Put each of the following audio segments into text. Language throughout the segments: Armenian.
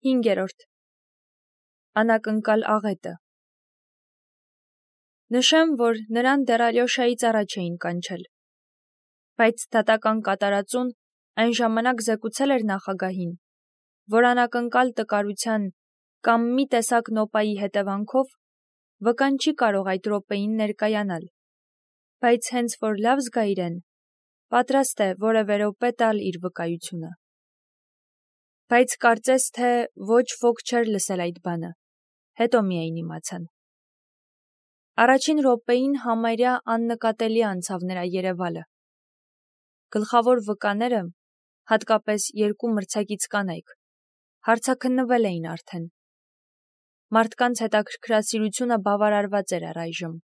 5. Անակնկալ աղետը։ Նշեմ, որ նրան դեռ Ալյոշայից առաջ էին կանչել, բայց դատական կատարածուն այն ժամանակ զեկուցել էր նախագահին, որ անակնկալ տկարության կամ մի տեսակ նոպայի հետևանքով վկան չի կարող այդ րոպեին ներկայանալ, բայց հենց որ լավ զգա իրեն, պատրաստ է որևէ րոպե տալ իր վկայությունը։ Բայց կարծես թե ոչ ոք չէր լսել այդ բանը, հետո միայն իմացան։ Առաջին րոպեին համարյա աննկատելի անցավ նրա երևալը։ Գլխավոր վկաները, հատկապես երկու մրցակից կանայք, հարցաքննվել էին արդեն։ Մարդկանց հետաքրքրասիրությունը բավարարված էր առայժմ։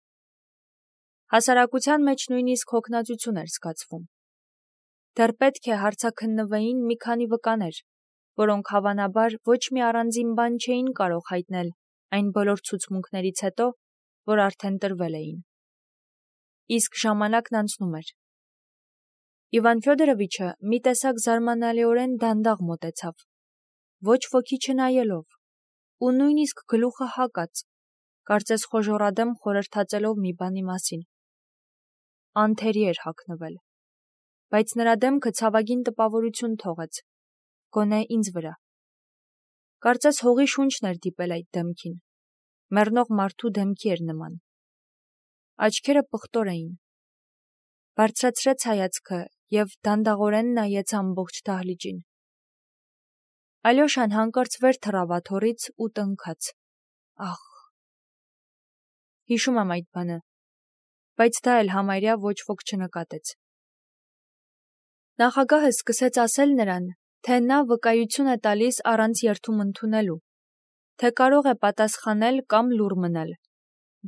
Հասարակության մեջ նույնիսկ հոգնածություն էր զգացվում։ Դեռ պետք է հարցաքննվեին մի քանի վկաներ, որոնք հավանաբար ոչ մի առանձին բան չէին կարող հայտնել այն բոլոր ցուցմունքներից հետո, որ արդեն տրվել էին։ Իսկ ժամանակն անցնում էր։ Իվան Ֆյոդորովիչը մի տեսակ զարմանալիորեն դանդաղ մոտեցավ, ոչ ոքի չնայելով, ու նույնիսկ գլուխը հակած, կարծես խոժոռադեմ խորհրդածելով մի բանի մասին։ Անթերի էր հագնվել, բայց նրա դեմքը ցավագին տպավորություն թողեց, գոնե ինձ վրա։ Կարծես հողի շունչն էր դիպել այդ դեմքին, մեռնող մարդու դեմքի էր նման։ Աչքերը պղտոր էին։ Բարձրացրեց հայացքը և դանդաղորեն նայեց ամբողջ դահլիճին։ Ալյոշան հանկարծ վեր թռավ աթոռից ու տնքաց. «Ախ»։ Հիշում եմ այդ բանը, բայց դա էլ համարյա ոչ ոք չնկատեց։ Նախագահը սկսեց ասել նրան, թե նա վկայություն է տալիս առանց երդում ընդունելու, թե կարող է պատասխանել կամ լուռ մնալ,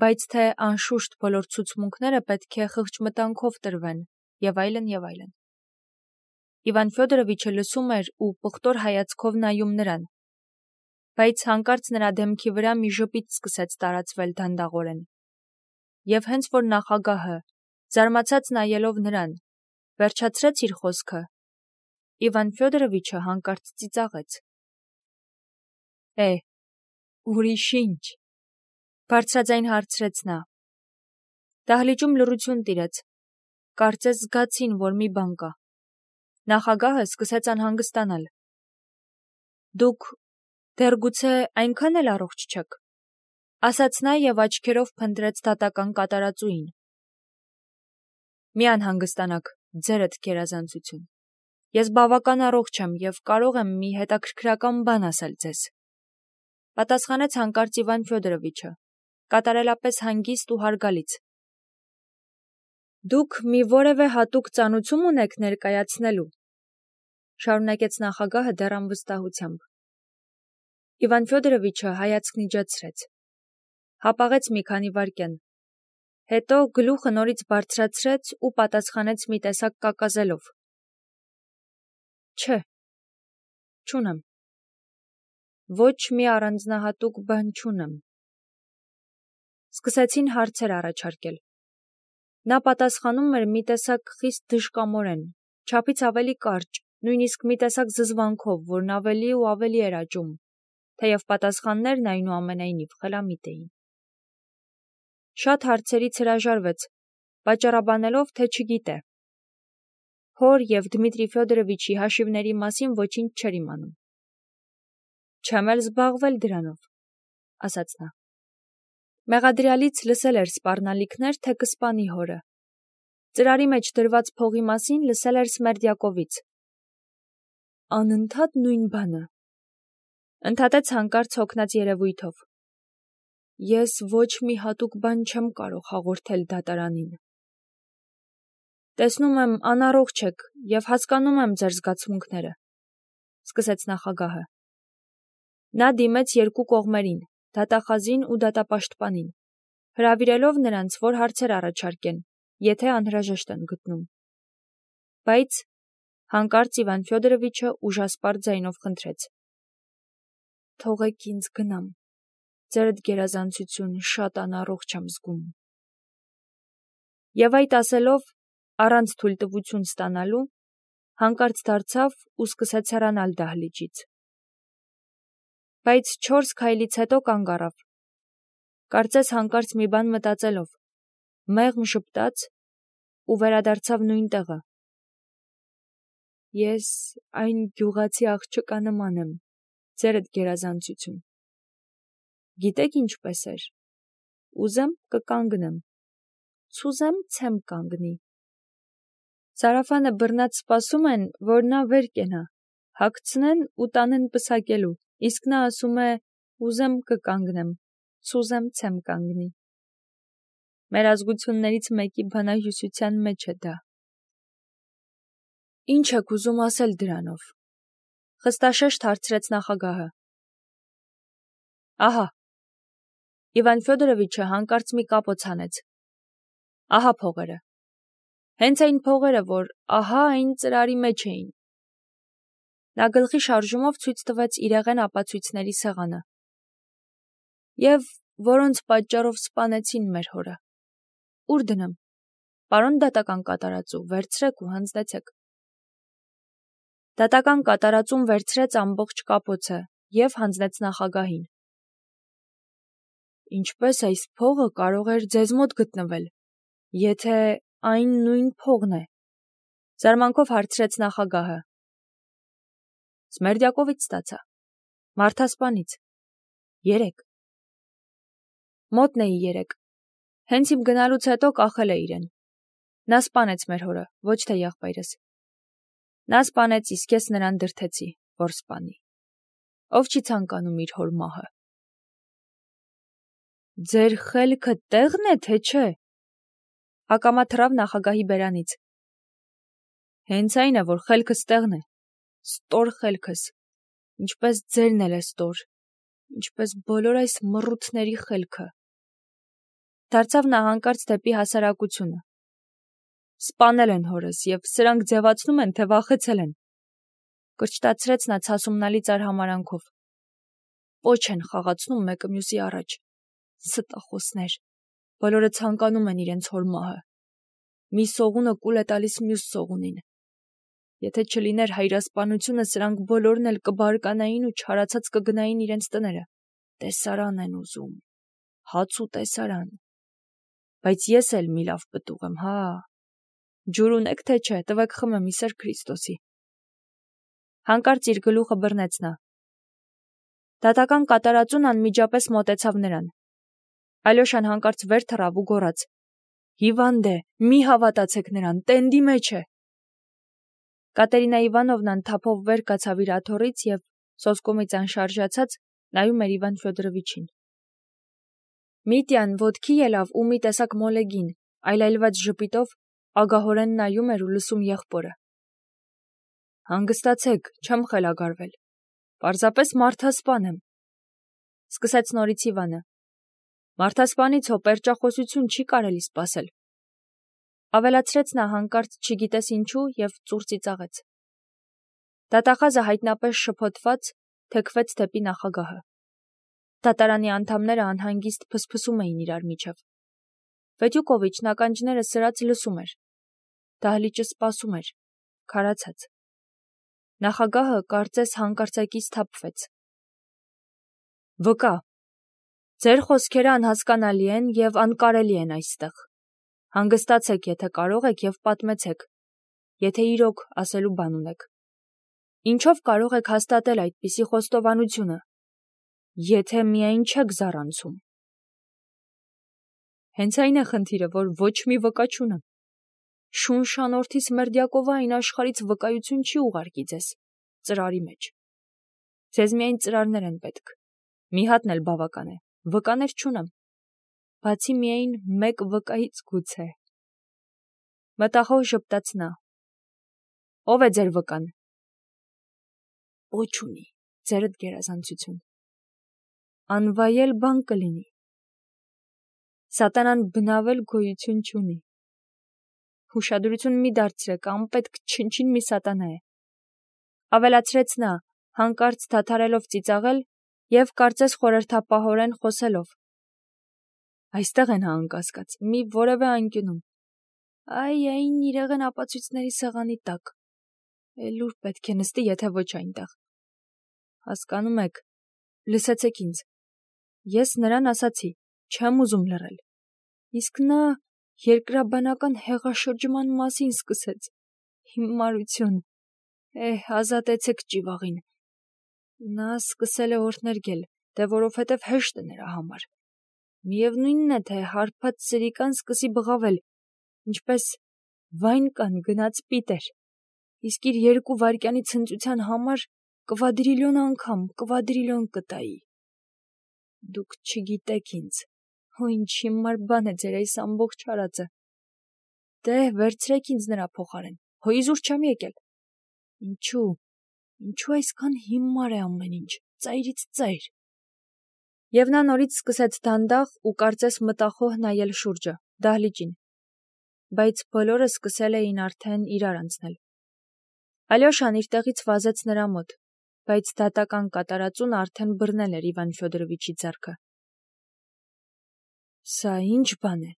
բայց թե անշուշտ բոլոր ցուցմունքները պետք է խղճմտանքով տրվեն, եւ այլն, եւ այլն։ Իվան Ֆյոդորովիչը լսում էր ու պղտոր հայացքով նայում նրան, բայց հանկարծ նրա դեմքի վրա մի ժպիտ սկսեց տարածվել դանդաղորեն։ Եվ հենց որ նախագահը, զարմացած նայելով նրան, վերջացրեց իր խոսքը, Իվան Ֆյոդորովիչը հանկարծ ծիծաղեց։ Ուրիշ ինչ, բարձրաձայն հարցրեց նա։ Դահլիճում լռություն տիրեց, կարծես զգացին, որ մի բան կա։ Նախագահը սկսեց անհանգստանալ։ Դուք դեռ գուցե այնքան էլ առողջ չեք, ասաց նա և աչքերով փնտրեց դատական կատարածուին։ Մի անհանգստանաք, ձերդ գերազանցություն։ Ես բավական առողջ եմ և կարող եմ մի հետաքրքրական բան ասել ձեզ, պատասխանեց հանկարծ Իվան Ֆյոդորովիչը, կատարելապես հանգիստ ու հարգալից։ Դուք մի որևէ հատուկ ծանուցում ունեք ներկայացնելու, շարունակեց նախագահը դեռ անվստահությամբ։ Իվան Ֆյոդորովիչը հայացքն իջեցրեց, հապաղեց մի քանի վայրկյան, հետո գլուխը նորից բարձրացրեց ու պատասխանեց մի տեսակ կակազելով. Չէ, չունեմ։ Ոչ մի առանձնահատուկ բան չունեմ։ Սկսեցին հարցեր առաջարկել։ Նա պատասխանում էր մի տեսակ խիստ դժկամորեն, չափից ավելի կարճ, նույնիսկ մի տեսակ զզվանքով, որն ավելի ու ավելի էր աճում, թեև պատասխաններն այնուամենայնիվ խելամիտ էին։ Շատ հարցերից հրաժարվեց, պատճառաբանելով, թե չգիտե։ Հոր և Դմիտրի Ֆյոդորովիչի հաշիվների մասին ոչինչ չէր իմանում։ Չեմ էլ զբաղվել դրանով, ասաց նա։ Մեղադրյալից լսել էր սպառնալիքներ, թե կսպանի հորը։ Ծրարի մեջ դրված փողի մասին լսել էր Սմերդյակովից։ Անընդհատ նույն բանը, ընդհատեց հանկարծ հոգնած երևույթով։ Ես ոչ մի հատուկ բան չեմ կարող հաղորդել դատարանին։ Տեսնում եմ անառողջ եք և հասկանում եմ ձեր զգացմունքները, սկսեց նախագահը։ Նա դիմեց երկու կողմերին, դատախազին ու դատապաշտպանին, հրավիրելով նրանց, որ հարցեր առաջարկեն, եթե անհրաժեշտ են գտնում։ Բայց հանկարծ Իվան Ֆյոդորովիչը ուժասպառ ձայնով խնդրեց. Թողեք ինձ գնամ, ձերդ գերազանցություն, շատ անառողջ եմ զգում։ Եվ այդ ասելով, առանց թույլտվություն ստանալու, հանկարծ դարձավ ու սկսեց հեռանալ դահլիճից։ Բայց 4 քայլից հետո կանգ առավ։ Կարծես հանկարծ մի բան մտածելով, մեղմ ժպտաց ու վերադարձավ նույն տեղը։ Ես այն գյուղացի աղջկա նման եմ, ձերդ գերազանցություն։ Գիտեք ինչպես էր։ Ուզեմ կկանգնեմ, ցուզեմ ցեմ կանգնի։ Սարաֆանը բռնած սպասում են, որ նա վեր կենա, հագցնեն ու տանեն պսակելու, իսկ նա ասում է ուզեմ կկանգնեմ, ցուզեմ ցեմ կանգնի։ Մեր ազգություններից մեկի բանահյուսության մեջ է դա։ Ինչ եք ուզում ասել դրանով։ Խստաշեշտ հարցրեց նախագահը։ Ահա։ Իվան Ֆյոդորովիչը հանկարծ մի կապոց հանեց։ Ահա փողերը։ Հենց այն փողերը, որ ահա այն ծրարի մեջ էին։ Նա գլխի շարժումով ցույց տվեց իրեղեն ապացույցների սեղանը։ Եվ որոնց պատճառով սպանեցին մեր հորը։ Ուր դնեմ։ Պարոն դատական կատարածու, վերցրեք ու հանձնեցեք։ Դատական կատարածուն վերցրեց ամբողջ կապոցը և հանձնեց նախագահին։ Ինչպես այս փողը կարող էր ձեզ մոտ գտնվել, եթե այն նույն փողն է, զարմանքով հարցրեց նախագահը։ Սմերդյակովից ստացա, մարդասպանից, 3։ Մոտն էի 3, հենց իմ գնալուց հետո կախել է իրեն, նա սպանեց մեր հորը, ոչ թե եղբայրս, նա սպանեց, իսկ ես նրան դրդեցի, որ սպանի, ով չի ցանկանում իր հոր մահը։ Ձեր խելքը տեղն է, թե չէ, ակամա թռավ նախագահի բերանից։ Հենց այն է, որ խելքս տեղն է, ստոր խելքս, ինչպես ձերն էլ է ստոր, ինչպես բոլոր այս մռութների խելքը։ Դարձավ նա հանկարծ դեպի հասարակությունը։ Սպանել են հորս և սրանք ձևացնում են, թե վախեցել են։ Կրճտացրեց նա ցասումնալի արհամարանքով։ Պոչ են խաղացնում մեկը մյուսի առաջ։ Ստախոսներ, բոլորը ցանկանում են իրենց հոր մահը։ Մի սողունը կուլ է տալիս մյուս սողունին։ Եթե չլիներ հայրասպանությունը, սրանք բոլորն էլ կբարկանային ու չարացած կգնային իրենց տները։ Տեսարան են ուզում, հաց ու տեսարան։ Բայց ես էլ մի լավ պտուղ եմ, հա։ Ջուր ունեք, թե չէ, տվեք խմեմ Իսեր Քրիստոսի։ Հանկարծ իր գլուխը բռնեց նա։ Դատական կատարածուն անմիջապես մոտեցավ նրան։ Ալյոշան հանկարծ վեր թռավ ու գոռաց. Հիվանդ է, մի հավատացեք նրան, տենդի մեջ է։ Կատերինա Իվանովնան թափով վեր կացավ իր աթոռից և սոսկումից անշարժացած նայում էր Իվան Ֆյոդորովիչին։ Միտյան ոտքի ելավ ու մի տեսակ մոլեգին, այլայլված ժպիտով ագահորեն նայում էր ու լսում եղբորը։ Հանգստացեք, չեմ խելագարվել։ Պարզապես մարդասպան եմ, սկսեց նորից Իվանը։ Մարդասպանից հո պերճախոսություն չի կարելի սպասել։ Ավելացրեց նա հանկարծ չգիտես ինչու և ծուռ ծիծաղեց։ Դատախազը հայտնապես շփոթված թեքվեց դեպի նախագահը։ Դատարանի անդամները անհանգիստ փսփսում էին իրար միջև։ Վետյուկովիչն ականջները սրած լսում էր։ Դահլիճը սպասում էր, քարացած։ Նախագահը կարծես հանկարծակի սթափվեց։ Վկա, ձեր խոսքերը անհասկանալի են և անկարելի են այստեղ։ Հանգստացեք, եթե կարող եք և պատմեցեք, եթե իրոք ասելու բան ունեք։ Ինչով կարող եք հաստատել այդպիսի խոստովանությունը, եթե միայն չեք զառանցում։ Հենց այն է խնդիրը, որ ոչ մի վկա չունեմ։ Շունշանորդի Սմերդյակովը այն աշխարհից վկայություն չի ուղարկի ձեզ, ծրարի մեջ։ Ձեզ միայն ծրարներ են պետք, մի հատն էլ բավական է, վկաներ չունեմ, բացի միայն մեկ վկայից գուցե։ Մտախոհ ժպտաց նա։ Ո՞վ է ձեր վկան։ Ոչ ունի, ձերդ գերազանցություն։ Անվայել բան կլինի։ Սատանան բնավել գոյություն չունի։ Հուշադրություն մի դարձրեք, անպետք չնչին մի սատանա է։ Ավելացրեց նա, հանկարծ դադարելով ծիծաղել և կարծես խորհրդապահորեն խոսելով։ Այստեղ են հա անկասկած, մի որևէ անկյունում։ Այն իրեղեն ապացույցների սեղանի տակ։ Էլ ուր պետք է նստի, եթե ոչ այնտեղ։ Հասկանում եք, Լսեցեք ինձ։ Ես նրան ասացի, չեմ ուզում լռել։ Իսկ նա երկրաբանական հեղաշրջման մասին սկսեց։ Հիմարություն։ Ազատեցեք ճիվաղին։ Նա սկսել է օրհներգել, թե որովհետև հեշտ է նրա համար։ Միևնույնն է, թե հարբած սրիկան սկսի բղավել, ինչպես վայնկան գնաց պիտեր, իսկ իր 2 վայրկյանի ցնծության համար կվադրիլիոն կտայի։ Դուք չգիտեք ինձ, ինչ հիմար բան է ձեր այս ամբողջ արածը։ Դե, վերցրեք ինձ նրա փոխարեն, իզուր չեմ եկել։ Ինչու այսքան հիմար է ամեն ինչ, ծայրից ծայր։ Եվ նա նորից սկսեց դանդաղ ու կարծես մտախոհ նայել շուրջը, դահլիճին, բայց բոլորը սկսել էին արդեն իրար անցնել։ Ալյոշան իր տեղից վազեց նրա մոտ, բայց դատական կատարածուն արդեն բռնել էր Իվան Ֆյոդորովիչի ձեռքը։ Սա ինչ բան է,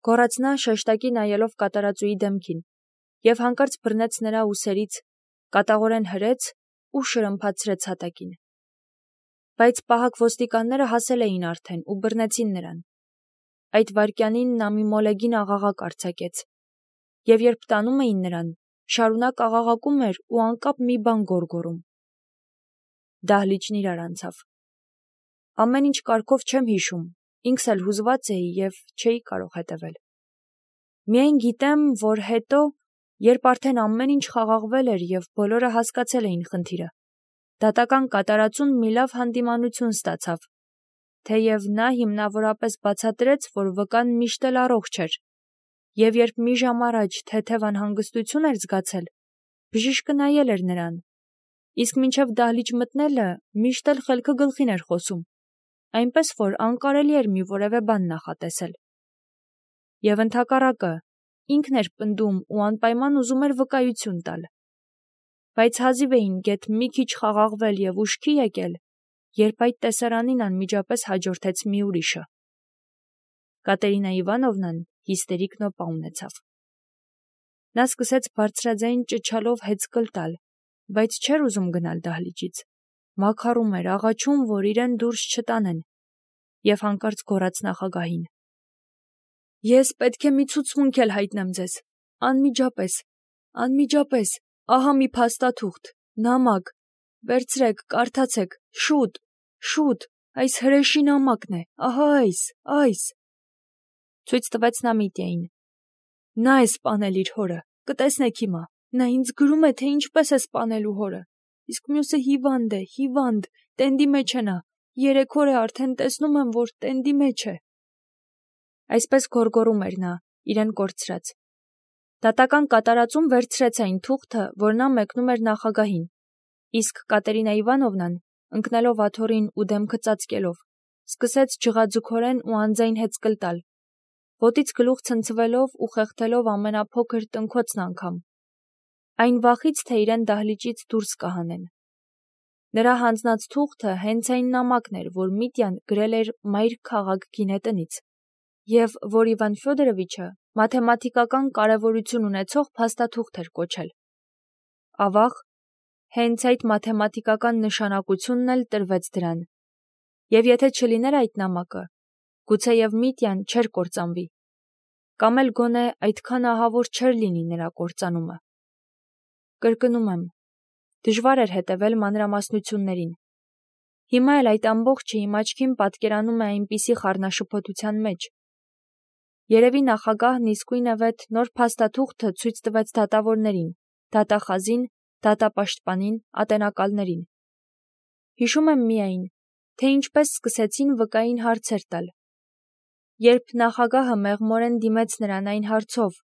գոռաց նա շեշտակի նայելով կատարածուի դեմքին, և հանկարծ բռնեց նրա ուսերից, կատաղորեն հրեց ու շրմփացրեց հատակին։ Բայց պահակ ոստիկանները հասել էին արդեն ու բռնեցին նրան։ Այդ վայրկյանին նա մի մոլեգին աղաղակ արձակեց, և երբ տանում էին նրան, շարունակ աղաղակում էր ու անկապ մի բան գոռգոռում։ Դահլիճն իրար անցավ։ Ամեն ինչ կարգով չեմ հիշում, ինքս էլ հուզված էի և չէի կարող հետևել։ Միայն գիտեմ, որ հետո, երբ արդեն ամեն ինչ խաղաղվել էր և բոլորը հասկացել էին խնդիրը, դատական կատարածուն մի լավ հանդիմանություն ստացավ, թեև նա հիմնավորապես բացատրեց, որ վկան միշտ էլ առողջ էր, և երբ մի ժամ առաջ թեթև անհանգստություն էր զգացել, բժիշկը նայել էր նրան, իսկ մինչև դահլիճ մտնելը միշտ էլ խելքը գլխին էր խոսում, այնպես որ անկարելի էր մի որևէ բան նախատեսել։ Եվ ընդհակառակը, ինքն էր պնդում ու անպայման ուզում էր վկայություն տալ։ Բայց հազիվ էին գեթ մի քիչ խաղաղվել և ուշքի եկել, երբ այդ տեսարանին անմիջապես հաջորդեց մի ուրիշը։ Կատերինա Իվանովնան հիստերիկ նոպա ունեցավ։ Նա սկսեց բարձրաձայն ճչալով հեծկլ տալ, բայց չէր ուզում գնալ դահլիճից։ Մաքարում էր, աղաչում, որ իրեն դուրս չտանեն, և հանկարծ գոռաց նախագահին. Ես պետք է մի ցուցմունք էլ հայտնեմ ձեզ, անմիջապես, ահա մի փաստաթուղթ, նամակ, վերցրեք, կարդացեք, շուտ, այս հրեշի նամակն է, ահա այս։ Ցույց տվեց նա Միտյային։ Նա է սպանել իր հորը, կտեսնեք հիմա, նա ինձ գրում է, թե ինչպես է սպանելու հորը, իսկ մյուսը հիվանդ, տենդի մեջ է նա, 3 օր է արդեն տեսնում եմ, որ տենդի մեջ է։ Այսպես գոռգոռում էր նա, իրեն կորցրած։ Դատական կատարածում վերցրեց այն թուղթը, որ նա մեկնում էր նախագահին, իսկ Կատերինա Իվանովնան, ընկնելով աթոռին ու դեմքը ծածկելով, սկսեց ջղաձգորեն ու անձայն հեծկլ տալ, ոտից գլուխ ցնցվելով ու խեղդելով ամենափոքր տնքոցն անգամ, այն վախից, թե իրեն դահլիճից դուրս կհանեն։ Նրա հանձնած թուղթը հենց այն նամակն էր, որ Միտյան գրել էր մայր քաղաք գինետնից, և որ Իվան Ֆյոդորովիչը մաթեմատիկական կարևորություն ունեցող փաստաթուղթ էր կոչել։ Ավաղ, հենց այդ մաթեմատիկական նշանակությունն էլ տրվեց դրան, և եթե չլիներ այդ նամակը, գուցեև Միտյան չէր կործանվի, կամ էլ գոնե այդքան ահավոր չէր լինի նրա կործանումը։ Կրկնում եմ, դժվար էր հետևել մանրամասնություններին։ Հիմա էլ այդ ամբողջը իմ աչքին պատկերանում է այնպիսի խառնաշփոթության մեջ։ Երևի նախագահն իսկույնևեթ նոր փաստաթուղթը ցույց տվեց դատավորներին, դատախազին, դատապաշտպանին, ատենակալներին։ Հիշում եմ միայն, թե ինչպես սկսեցին վկային հարցեր տալ։ Երբ նախագահը մեղմորեն դիմեց նրան այն հարցով,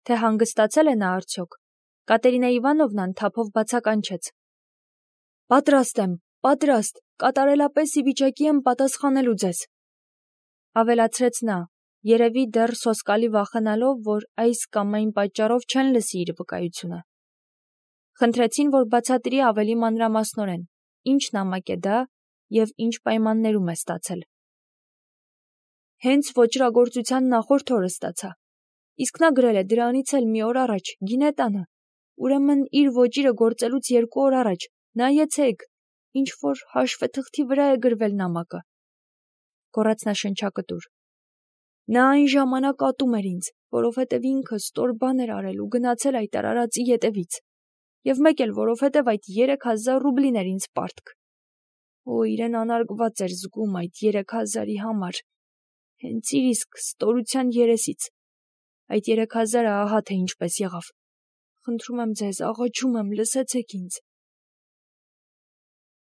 թե հանգստացել է նա արդյոք, Կատերինա Իվանովնան թափով բացականչեց. Պատրաստ եմ, կատարելապես ի վիճակի եմ պատասխանելու ձեզ։ Ավելացրեց նա, երևի դեռ սոսկալի վախենալով, որ այս կամ այն պատճառով չեն լսի իր վկայությունը։ Խնդրեցին, որ բացատրի ավելի մանրամասնորեն, ինչ նամակ է դա և ինչ պայմաններում է ստացել։ Հենց ոճրագործության նախորդ օրը ստացա, իսկ նա գրել է դրանից էլ մի օր առաջ, գինետանը, ուրեմն իր ոճիրը գործելուց 2 օր առաջ, նայեցեք, ինչ-որ հաշվեթղթի վրա է գրվել նամակը, գոռաց նա շնչակտուր։ Նա այն ժամանակ ատում էր ինձ, որովհետև ինքը ստոր բան էր արել ու գնացել այդ արարածի ետևից, և մեկ էլ որովհետև այդ 3000 ռուբլին էր ինձ պարտք։ Օ, իրեն անարգված էր զգում այդ 3000-ի համար, հենց իր իսկ ստորության երեսից։ Այդ 3000-ը ահա թե ինչպես եղավ։ Խնդրում եմ ձեզ, աղաչում եմ, լսեցեք ինձ։